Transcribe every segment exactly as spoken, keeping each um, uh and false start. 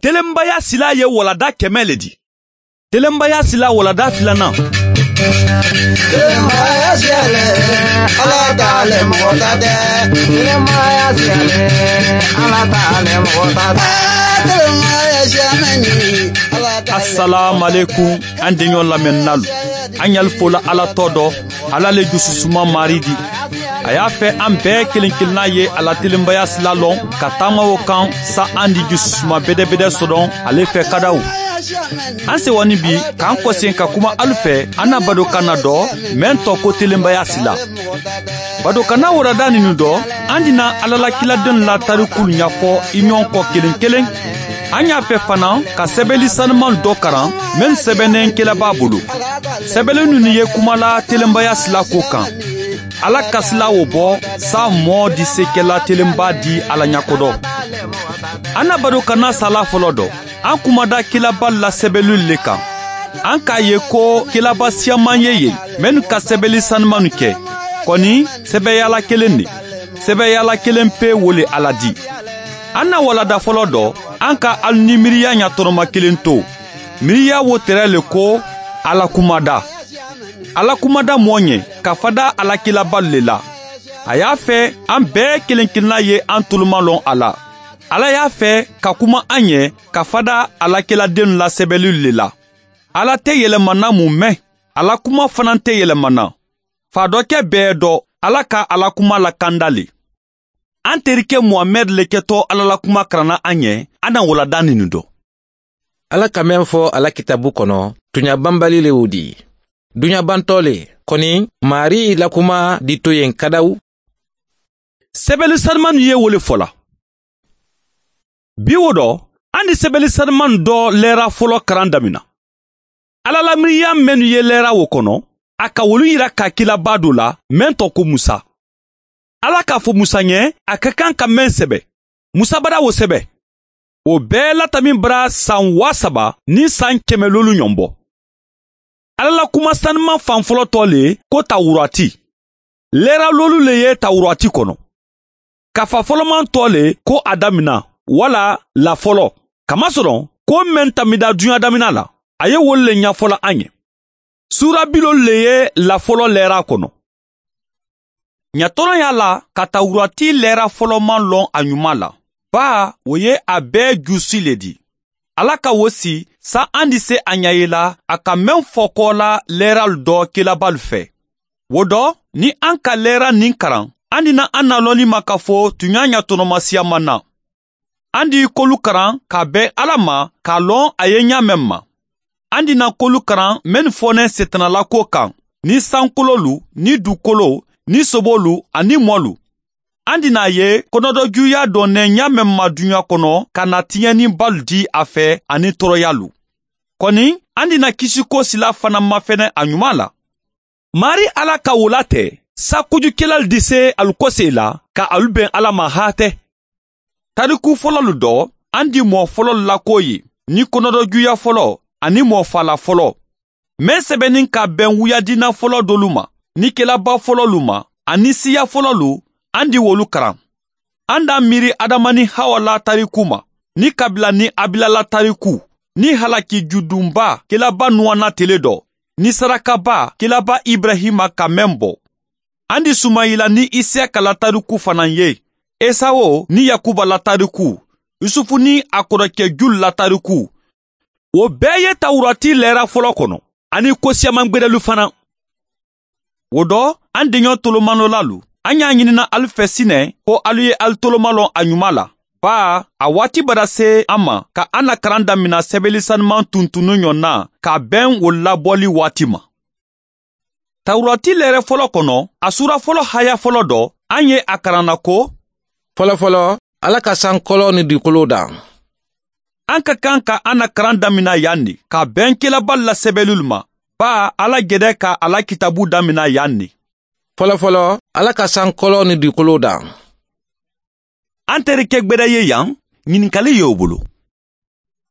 Telenbaya sila ye walada kɛmɛ le di. Telenbaya sila walada filanan. Telenbaya sila le, ala ta le mɔgɔ ta tɛ. Telenbaya sila le, ala ta le mɔgɔ ta tɛ. Telenbaya sila mɛ ni, ala ta le mɔgɔ ta tɛ. Asalaamalekum, an deɲɔ lamɛnnalu. An ɲali fola ala tɔ dɔ, ala le jususuma maari di. A y'a fɛ an bɛɛ kelen-kelenna ye a la telenbaya sila lɔn ka taama o kan, sa an di jususuma bedebede sɔdɔn ale fɛ kadaw. An sewani bi k'an kɔsen ka kuma alu fɛ an na badokanna dɔ, mɛn tɔ ko telenbaya sila. Badokanna warada ninu dɔ, an dina ala la kiladenw la tarikulu ɲafɔ i ɲɔgɔn kɔ kelen-kelen. An y'a fɛ fana ka sɛbɛli sanuman dɔ karan, mennu sɛbɛnnen kelabaa bolo. Sɛbɛli ninnu ye kuma la telenbaya sila ko kan. Ala kasila o bɔ, sa mɔɔ di sekɛla telenba di ala ɲakodɔ. An na badokanna sala fɔlɔ dɔ, an kumada kelaba la sɛbɛli le kan. An k'a ye ko kelaba siyaman ye yen, mennu ka sɛbɛli sanumanu kɛ. Kɔni, sɛbɛyala kelen ne. Sɛbɛyala kelen pe wo le ala di. An na walada fɔlɔ dɔ, an ka alu ni miiriya ɲatɔnɔma kelen to. Miiriya wo tɛrɛ le ko ala kumada. Ala kumada mɔɔ ɲɛ ka fada ala kelabalu le la. A y'a fɛ an bɛɛ kelen-kelenna ye an toloma lɔn a la. Ala y'a fɛ ka kuma an ɲɛ ka fada ala keladenw la sɛbɛlilu le la. Ala tɛ yɛlɛmana mun mɛn, ala kuma fana tɛ yɛlɛmana. Fa dɔ kɛ bɛɛ dɔ, ala ka ala kuma lakanda le. An terike muhamɛdi le kɛtɔ ala la kuma karanna an ɲɛ, an na walada ninu dɔ. Ala ka meŋ fo a la kitaabu kono, tuɲa banbali le wo di. Duɲa bantɔ le, koni, maari la kuma di to yen kadaw. Sɛbɛli sanumanu ye wo le fola. Bi wo dɔ, an di sɛbɛli sanumanu dɔ lɛra fɔlɔ karan damina. Ala la miiriya mennu ye lɛra wo kono, a ka wolu yira ka kilaba do la, meŋ tɔ ko musa. Ala k'a fo musa ɲɛ a ka kan ka meŋ sɛbɛ. Musa bara wo sɛbɛ. Wo bɛɛ latamin bara san waa saba ni san kɛmɛ lolu ɲɔn bɔ. Ala la kuma sanuman fan fɔlɔ tɔ le ko tawurati. Lɛra lolu le ye tawurati kono. Kafa fɔlɔman tɔ le ko a damina, wala lafɔlɔ. Kamasɔrɔ ko meŋ tamida duɲa damina la, a ye wolu le ɲafɔla an ye. Suura bi lolu le ye lafɔlɔ lɛra kono. Ɲatɔrɔn y'a la ka tawurati lɛra fɔlɔman lɔn a ɲuman la. Baa, wo ye a bɛɛ jusi le di. Ala ka wo si, sa an di se a ɲa ye la a ka meŋ fɔ kɔ la lɛralu dɔ kelabalu fɛ. Wo dɔ, ni an ka lɛra nin karan, an di na an na lɔnni ma ka fo tuɲa ɲatɔnɔmasiyaman na. An di kolu karan ka bɛn ala ma k'a lɔn a ye ɲaameŋ ma. An di na kolu karan mennu fɔnɛ setanalako kan, ni sankololu, ni dukolo, ni sobolu, ani mɔlu. An di na a ye konɔdɔjuya dɔnnɛ ɲaameŋ ma duɲa kono ka na tiɲɛnibalu di a fɛ, ani tɔɔrɔyalu. Kɔni, an di na kisiko sila fana mafɛnɛ a ɲuman la. Maari ala ka wo latɛ, sa kojukelalu di se alu kose la ka alu ben ala ma haatɛ. Tariku fɔlɔlu dɔ, an di mɔɔ fɔlɔlu lako ye, ni konɔdɔjuya fɔlɔ, ani mɔɔ fala fɔlɔ. Meŋ sɛbɛnin ka ben wuyadina fɔlɔ dolu ma, ni kelaba fɔlɔlu ma, ani siya fɔlɔlu, an di wolu karan. An d'a miiri adama ni hawa la tariku ma, ni kabila ni abila la tariku, ni halaki judunba kelaba nuwana tele dɔ, ni sarakaba kelaba ibrahima ka meŋ bɔ. An di sumayila ni isiyaka la tariku fanaŋ ye, esawo ni yakuba la tariku, yusufu ni a kɔrɔkɛ julu la tariku. Wo bɛɛ ye tawurati lɛra fɔlɔ kɔnɔ, ani kosiyamangberelu fana. Wo dɔ, an deɲɔ tolomanolalu, an y'a ɲinina alu fɛ sinɛ ko alu ye alu tolomalɔn a ɲuman la. Baa, a waati bara se an ma ka an na karan damina sɛbɛli sanuman tuntunnu ɲɔn na, k'a bɛn wo labɔli waati ma. Tawurati lɛrɛ fɔlɔ kɔnɔ, a suura fɔlɔ haya fɔlɔ dɔ, an ye a karanna ko, fɔlɔfɔlɔ, ala ka sankolo ni dugukolo dan. An ka kan ka an na karan damina yan ne, ka bɛn kelabali la sɛbɛlulu ma. Baa, ala gɛdɛ ka a la kitabu damina yan ne. Fɔlɔfɔlɔ, ala ka sankolo ni dugukolo dan. An terikɛ gbɛrɛ ye yan, ɲininkali ye o bolo.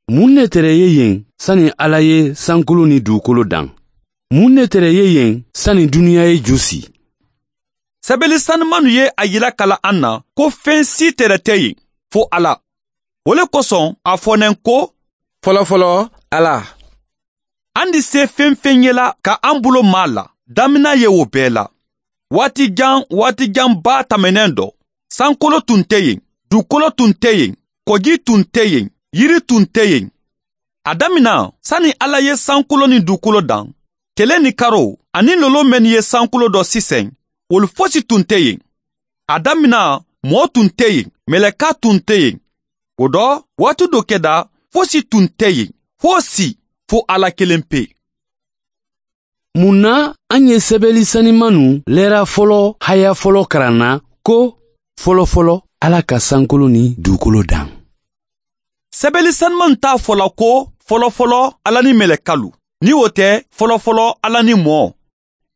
Mun ne tere ye yen sani ala ye sankolo ni dugukolo dan? Mun ne tere ye yen sani duniya ye ju si? Sɛbɛli sanumanu ye a yila kala an na ko fen si tere tɛ yen fo ala. Wo le kosoŋ a fo neŋ ko, folofoloo ala, an di see feŋ-feŋ ye la ka an bulo maa la damina ye wo bee la. Waati jaŋ waati jaŋ baa tameneŋ do, sankolo tun te yeŋ, dukolo tun te yeŋ, koji tun te yeŋ, yiri tun te yeŋ. A damina sani alla ye sankolo niŋ dukolo daŋ, tele niŋ karoo aniŋ loloo mennu ye sankolo do siseŋ, wolu fosi tun te yeŋ. A damina moo tun te yeŋ, meleka tun te yeŋ. Wo do, waati do keda fosi tun te yeŋ, fosi, fo alla keleŋ pe. Mun na an ye sebeli sanimanu leera folo haya folo karan na ko, folo folo ala ka sankulu ni dukolo dan? Sebeli sanimanu t'a fo la ko, folo folo ala ni melekalu, ni wo te, folo folo ala ni moo.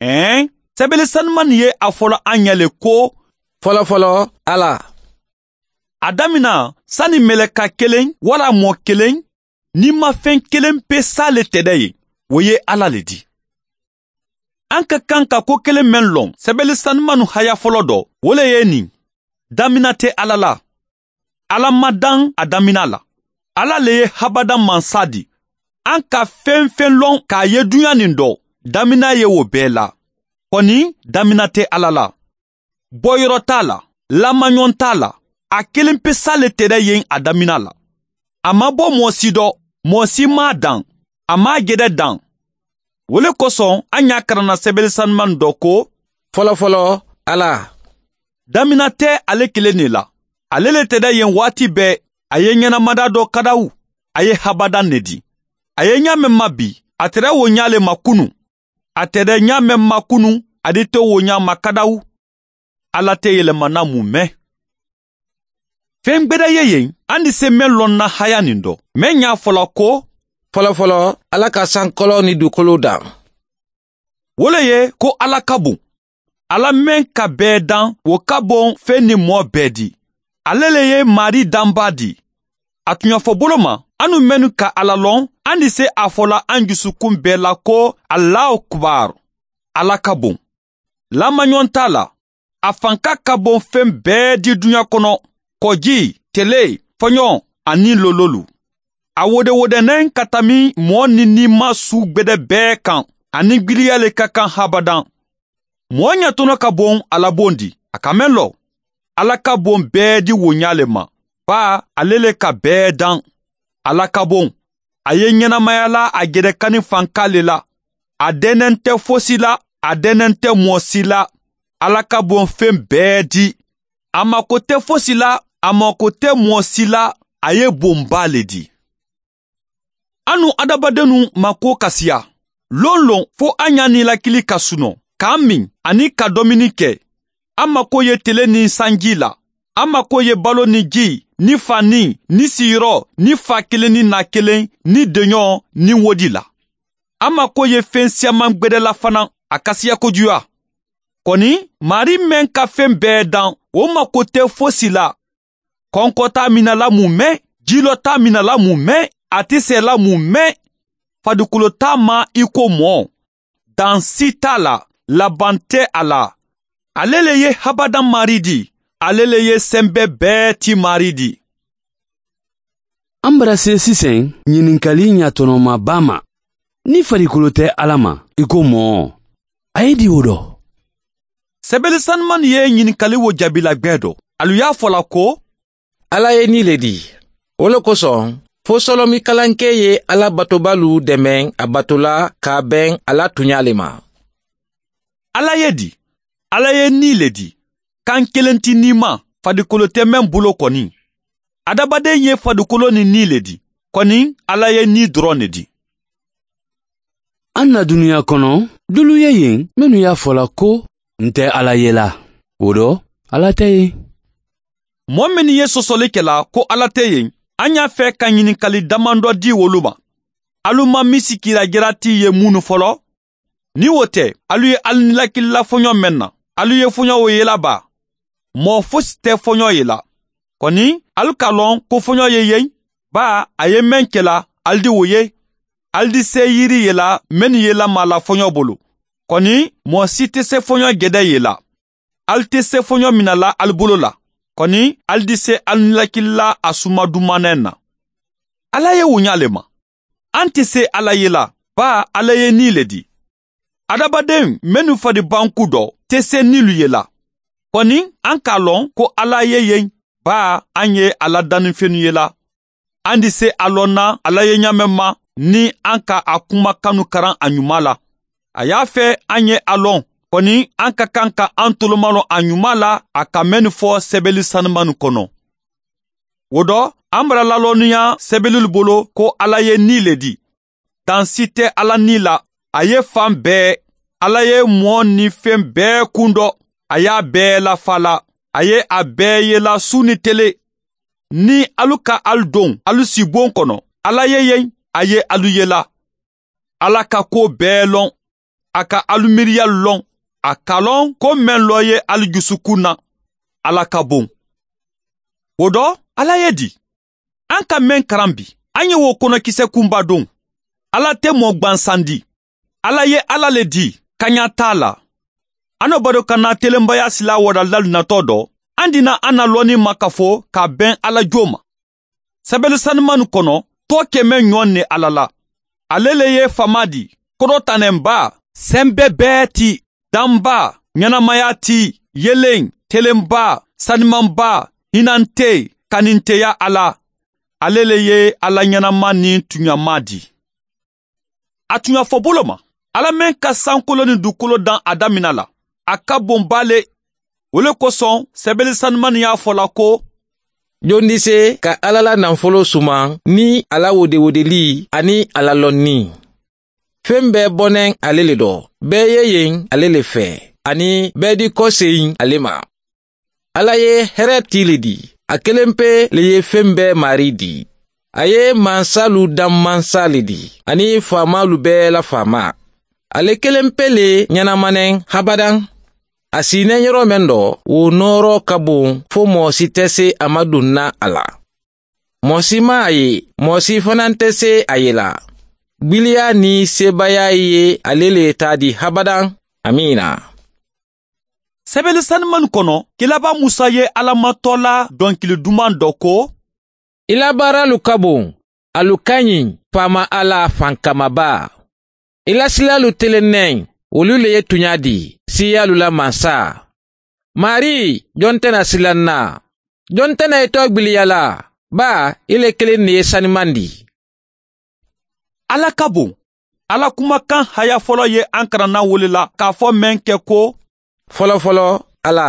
Ee, sebeli sanimanu ye a fo la an ɲa le ko, folo folo ala. A damina sani meleka kelen wala moo kelen, ni ma feŋ kelen pe saa le teda ye, wo ye alla le di. An ka kaŋ ka ko kelen meŋ loŋ sebeli sanimanu haya folo do, wo le ye niŋ, damina te alla la. Alla ma daŋ a damina la. Alla le ye habadaŋ mansa di. An ka feŋ-feŋ loŋ ka a ye duɲa niŋ do, damina ye wo bee la. Koni, damina te alla la. Boyiro t'a la, lamaɲoŋ t'a la. A kelen pe saa le teda yeŋ a damina la. A ma bo moo si do, moo si maŋ a daŋ, a maŋ a gede daŋ. Wo le kosoŋ a ɲa karanna sebele sanumanu do ko, folofolo ala, damina te ale kelen ne la. Ale le teda yeŋ waati bee. A ye ɲenamada do kadawu. A ye habadaŋ ne di. A ye ɲaa meŋ ma bi, a tere wo ɲaa le ma kunuŋ. A tere ɲaa meŋ ma kunuŋ, a di te wo ɲaa ma kadawu. Alla te yelema na mume. Feŋ gbeda ye yeŋ andi se meŋ loŋ na haya niŋ do, meŋ ɲaa fo la ko, folofolo, alla ka sankolo ni dukolo daŋ. Wo le ye ko alla ka buŋ. Alla meŋ ka bee daŋ, wo ka boŋ feŋ ni moo bee di. Ale le ye maarii dambaa di. A tuɲafobolo ma, anu mennu ka alla loŋ, andi se a fo la an jusukun bee la ko, allahu akbar. Alla ka boŋ. Lamaɲoŋ t'a la. A fanka ka boŋ feŋ bee di duɲa kono, koji, tele, foɲo, aniŋ lololu. A wode-wode neŋ ka tami moo niŋ niimaa suu gbede bee kaŋ. Aniŋ giliya le ka kaŋ habadaŋ. Moo ɲatono ka boŋ a la boŋ di, a ka meŋ lo. Alla ka boŋ bee di wo ɲaa le ma. Baa ale le ka bee daŋ. Alla ka boŋ. A ye ɲenamaya la a gedekani fanka le la. A denente fosi la. A denente moo si la. Alla ka boŋ feŋ bee di. A mako te fosi la. A mako te moo si la. A ye boŋ baa le di. Anu adamadenu ma ko kasiya. Lonloŋ fo a ɲa ni lakili ka suno, ka min, ani ka domini ke. A mako ye tele ni sanji la. A mako ye balo ni ji, ni fani, ni siyiro, ni fa kelen ni na kelen, ni deɲo, ni wodi la. A mako ye feŋ siyaman gbede la fanaŋ, a kasiya kojuya. Koni, maarii meŋ ka feŋ bee daŋ, wo mako te fosi la. Konko t'a mina la mume, jilo t'a mina la mume, a ti se la mume. Fadikolo t'a ma i ko moo. Dansi t'a la, laban te a la. Ale le ye habadaŋ maarii di. Ale le ye sembe bee ti maarii di. An bara se siseŋ ɲininkali ɲatonoma baa ma. Ni fadikolo te alla ma i ko moo, a ye di wo do? Sebele sanumanu ye ɲininkali wo jaabi la gbee do. Alu ye a fo la ko, alla ye nii le di. Wo le kosoŋ, fo solomikalankee ye alla batobalu demeŋ a bato la ka a beŋ a la tuɲaa le ma. Alla ye di. Alla ye nii le di. Kaŋ kelen ti nii ma. Fadikolo te meŋ bulo koni. Adabadeŋ ye fadikolo ni nii le di. Koni, alla ye nii doroŋ ne di. An na duniya kono, dulu ye yeŋ mennu ye a fo la ko, n te alla ye la. Wo do, alla te yeŋ. Moo mennu ye sosoli ke la ko alla te yeŋ, an ye a fee ka ɲininkali damando di wolu ma. Alu ma misi kiila jarati ye munnu folo? Niŋ wo te, alu ye alu nilakili la foɲo meŋ na, alu ye foɲo wo ye la baa? Moo fosi te foɲo ye la. Koni, alu ka loŋ ko foɲo ye yeŋ, baa a ye meŋ ke la, alu di wo ye. Alu di see yiri ye la mennu ye lamaa la foɲo bulu. Koni, moo si te se foɲo gede ye la. Alu te se foɲo mina la alu bulu la. Kɔni, ali di se ali nilakili la a suma dumaneŋ na. Alla ye wo ñaa le ma. An te se alla ye la, baa alla ye nii le di. Adamaden mennu fadi banku dɔ te se niilu ye la. Kɔni, an ka a loŋ ko alla ye yeŋ, baa an ye a la danifenu ye la. An di se a loŋ na alla ye ñaameŋ ma, niŋ an ka a kuma kanu karaŋ a ñumaa la. A ye a fee an ye a loŋ. Kɔni, an ka kaŋ ka an tolomalon a ñumaa la a ka mennu fo sebeli sanumanu kono. Wo do, an bara laloonuya sebelulu bolo ko alla ye nii le di. Dansi te alla nii la. A ye fan bee, alla ye moo niŋ feŋ bee kundo. A ye a bee lafaa la. A ye a bee yela suu niŋ tele. Niŋ alu ka alu doŋ alu si boŋ kono, alla ye yeŋ. A ye alu yela. Alla ka kuwo bee loŋ. A ka alu miiriyalu loŋ. A ka loŋ ko meŋ loo ye alu jusukuŋ na. Alla ka boŋ. Wo do, alla ye di. An ka meŋ karambi, an ye wo konokise kunba doŋ. Alla te moo gbansandi. Alla ye alla le di, kañaa te a la. An no bado ka naa telenbaya silaa wadallalu natoo do, an dina an na looniŋ ma ka fo ka a beŋ alla joo ma. Sebelu sanumanu kono, too ke meŋ ñoŋ ne alla la. Ale le ye famaa di, kodotaneŋ baa, sembe bee ti, daŋ baa, ñanamaya ti, yeleŋ, telenbaa, sanimanbaa, hinantee, kaninteya alla. Ale le ye alla ñanama niŋ tuñamaa di. A tuña fo bolo ma, alla meŋ ka sankolo niŋ dukolo daŋ a damina la, a ka boŋ baa le. Wo le kosoŋ sebeli sanumanu ye a fo la ko, jondi se ka alla la nanfoloo suman niŋ a la wodewodeli aniŋ a la lonni? Feŋ bee boneŋ ale le do. Bee ye yeŋ ale le fee, aniŋ bee di koseyiŋ ale ma. Alla ye here tii le di. A kelempe le ye feŋ bee maarii di. A ye mansaalu daŋ mansaa le di, aniŋ faamaalu bee la faamaa. Ale kelempe le ñanama neŋ habadaŋ. A si i neeñeroo meŋ do, wo nooroo ka boŋ fo moo si te se a ma duŋ na a la. Moo si maŋ a ye, moo si fanaa nte se a ye la. Gbiliyaa niŋ seebaayaa ye ale le taa di habadaŋ. Amiina. Sebeli sanumanu kono, kilaabaa musa ye alla matoola donkili dumaŋ do ko, i la baaraalu ka boŋ. Alu kañiŋ, faama alla fankamabaa. I la silaalu telenneŋ, wolu le ye tuñaa di, siiyaalu la mansaa. Maarii, joŋ te na silaŋ na? Joŋ te na i too gbiliya la? Baa i le kiliŋ ne ye sanimandi. Alla ka boŋ. Alla kumakaŋ haya folo ye an karana wo le la k'a fo meŋ ke ko, folofolo alla.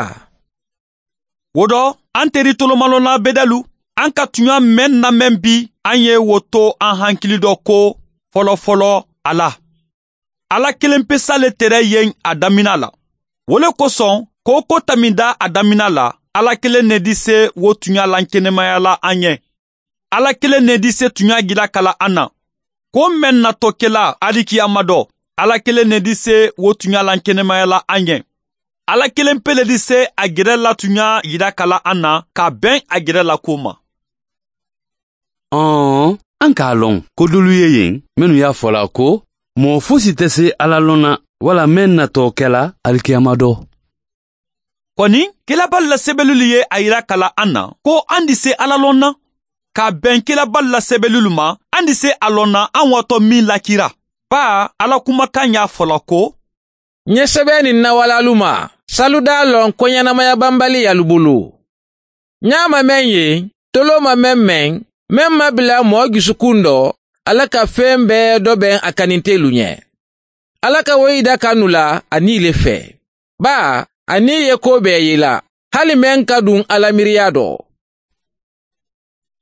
Wo do, an teri tolomalonna bedalu, an ka tuɲa meŋ na meŋ bi, an ye wo to an hankili do ko, folofolo alla. Alla kelenpesa le tere yeŋ a damina la. Wo le kosoŋ, ko wo ko taminda a damina la, alla kelen ne di se wo tuɲa lankenemaya la an ye. Alla kelen ne di se tuɲa gilakala an na. Ko meŋ na to kela alikiyama do, alla kelen ne di se wo tuɲa lankenemaya la an ye. Alla kelen pe le di se a gere la tuɲa yilakala an na ka beŋ a gere la ko ma. Ɔn, an k'a lɔn ko dolu ye yen mennu y'a fɔ la ko, moo fosi tɛ se alla lɔn na wala meŋ na to kela alikiyama do. Kɔni, kelabalu la sebelulu ye a yira ka la an na ko an di se alla lɔn na. Ka bɛn kelabalu la sebelulu ma, an di se a lɔn na an watɔ min lakira. Baa, alla kumakan y'a fɔ la ko, n ye sɛbɛn nin nawalaalu ma, saludaa lɔn ko ɲɛnamaya banbali y'alu bolo. N y'a ma meŋ ye, toloo ma meŋ meŋ, meŋ ma bila mɔɔ jusukun dɔ, alla ka feŋ bɛɛ dɔ beŋ a kanintelu ɲɛ. Alla ka wo yida ka nu la a nii le fɛ. Baa, a nii ye koo bɛɛ ye la, hali meŋ ka duŋ alla miiriya dɔ.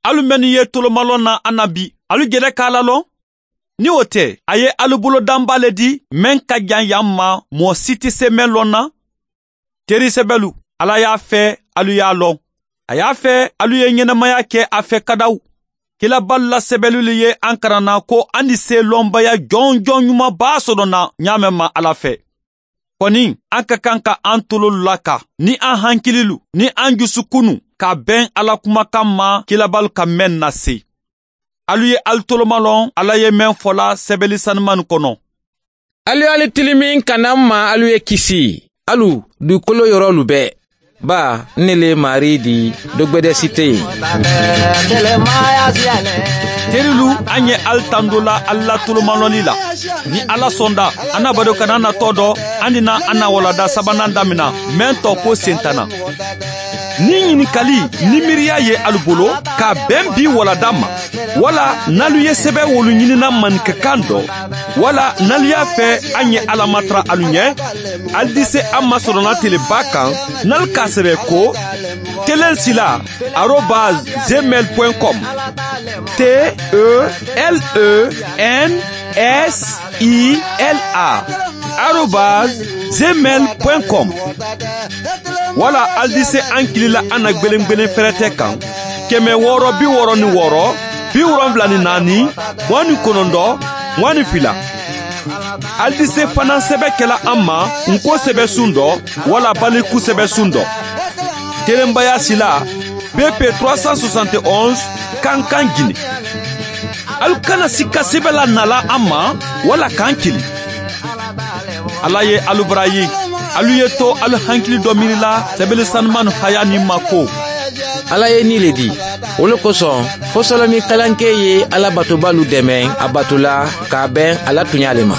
Alu mennu ye tolomalɔn na a na bi, alu jele ka alla lɔn? Ni wo te, a ye alu bolo damba le di meŋ ka jaŋ yaŋ ma, moo si ti se meŋ lɔn na. Teri sebelu, alla y'a fe alu y'a lɔn. A y'a fe alu ye ɲenamaya ke a fe kadaw. Kilabalu la sebelulu ye an karanna ko an di se lɔnbaya jonjon ɲuman baa soto na ɲaameŋ ma alla fe. Kɔni, an ka kaŋ ka an tololu laka ni an hankililu ni an jusukunnu ka beŋ alla kumakan ma kilabalu ka meŋ na se. Alu ye alu tolomalɔn alla ye meŋ fola sebeli sanumanu kono. Alu ye alu tilimin ka na n ma alu ye kisi, alu dukolo yorolu bee. Baa, n ne le ye maarii di, dogbedesi te yen. Terilu, an ye ali tando la ali la tolomalɔli la. Ni ala sɔnda, an na bado kana natɔ dɔ, an dina an na walada sabanan damina, meŋ tɔ ko sentanna. Ni ɲininkali ni miiriya ye alu bolo, ka beŋ bi walada ma, wala n'alu ye sebe wolu ɲinina manikakan dɔ, wala n'alu y'a fɛ an ye ala matara alu ɲɛ, alu di se an ma sɔrɔna teleba kan, n'alu k'a sɛbɛ ko telen sila arobase gmail point com. T E L E N S I L A arobase gmail point com. Wala alu di se an kili la an na gbelengbelen fɛrɛtɛ kan, kɛmɛ wɔɔrɔ bi wɔɔrɔ ni wɔɔrɔ, bi wolonwula ni naani, mugan ni kɔnɔntɔn, mugan ni fila. Alu di se fanaŋ sɛbɛ kɛla an ma nko sɛbɛsun dɔ, wala baliku sɛbɛsun dɔ. Telenbaya sila, B P trois cent soixante et onze, Kankan, Guinée. Alu kana sikka sɛbɛ la nala an ma, wala k'an kili. Ala ye alu bara ye. Alu ye to alu hankili dɔ miiri la sɛbɛli sanumanu haya nin ma ko. Ala ye nin le di. Wo le kosɔn, fosolɔmi kalanke ye Ala batobalu dɛmɛ a bato la, k'a bɛn a la tuɲa le ma.